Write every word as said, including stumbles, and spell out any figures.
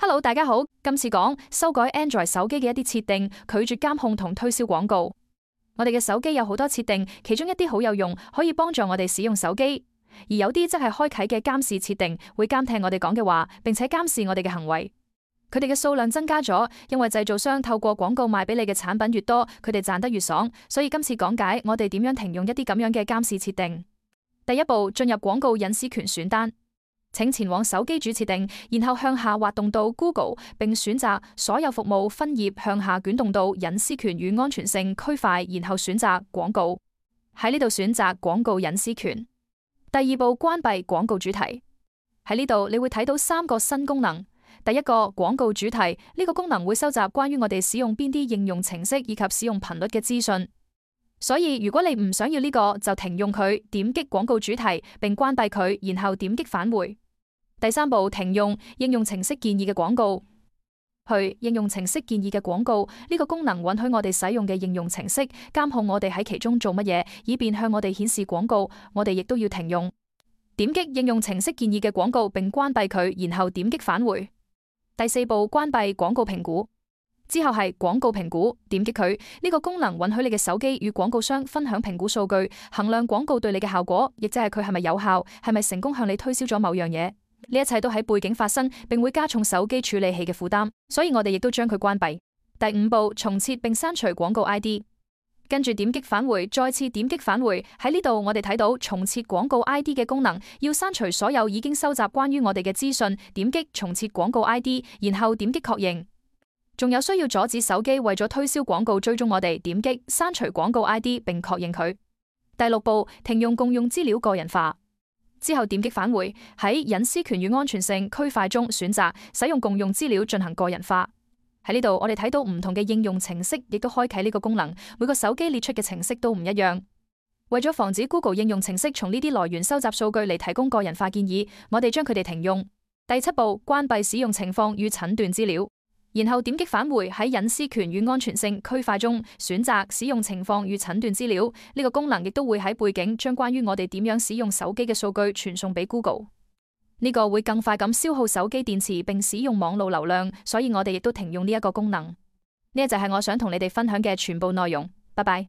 Hello， 大家好，今次講修改 Android 手機嘅一啲設定，拒絕監控同推銷廣告。我哋嘅手機有好多設定，其中一啲好有用，可以幫助我哋使用手機；而有啲則係開啟嘅監視設定，會監聽我哋講嘅話，並且監視我哋嘅行為。佢哋嘅數量增加咗，因為製造商透過廣告賣俾你嘅產品越多，佢哋賺得越爽。所以今次講解我哋點樣停用一啲咁樣嘅監視設定。第一步，進入廣告隱私權選單。請前往手機主設定，然後向下滑動到 Google， 並選擇所有服務分頁，向下捲動到隱私權與安全性區塊，然後選擇廣告。喺呢度選擇廣告隱私權。第二步，關閉廣告主題。喺呢度你會睇到三個新功能。第一個，廣告主題，呢個功能會收集關於我哋使用邊啲應用程式以及使用頻率嘅資訊。所以如果你唔想要呢個，就停用佢，點擊廣告主題並關閉佢，然後點擊返回。第三步，停用應用程式建議嘅廣告。去應用程式建議嘅廣告，呢個功能允許我哋使用嘅應用程式監控我哋喺其中做乜嘢，以便向我哋顯示廣告。我哋亦都要停用。點擊應用程式建議嘅廣告並關閉佢，然後點擊返回。第四步，關閉廣告評估。之後係廣告評估，點擊佢，呢個功能允許你嘅手機與廣告商分享評估數據，衡量廣告對你嘅效果，亦即係佢係咪有效，係咪成功向你推銷咗某樣嘢。呢一切都喺背景發生，並會加重手機處理器嘅負擔，所以我哋亦都將佢關閉。第五步，重設並刪除廣告 I D。跟住點擊返回，再次點擊返回。喺呢度我哋睇到重設廣告 I D 嘅功能，要刪除所有已經收集關於我哋嘅資訊。點擊重設廣告 I D， 然後點擊確認。仲有需要阻止手機為咗推銷廣告追蹤我哋，點擊刪除廣告 I D 並確認佢。第六步，停用共用資料個人化。之後點擊返回，喺隱私權與安全性區塊中選擇使用共用資料進行個人化。喺呢度我哋睇到唔同嘅應用程式亦都開啟呢個功能，每個手機列出嘅程式都唔一樣。為咗防止 Google 應用程式從呢啲來源收集數據嚟提供個人化建議，我哋將佢哋停用。第七步，關閉使用情況與診斷資料。然後點擊返回，喺隱私權與安全性區塊中選擇使用情況與診斷資料。呢個功能亦都會喺背景將關於我哋點樣使用手機嘅數據傳送俾 Google。呢個會更快咁消耗手機電池並使用網絡流量，所以我哋亦都停用呢一個功能。呢一就係我想同你哋分享嘅全部內容。拜拜。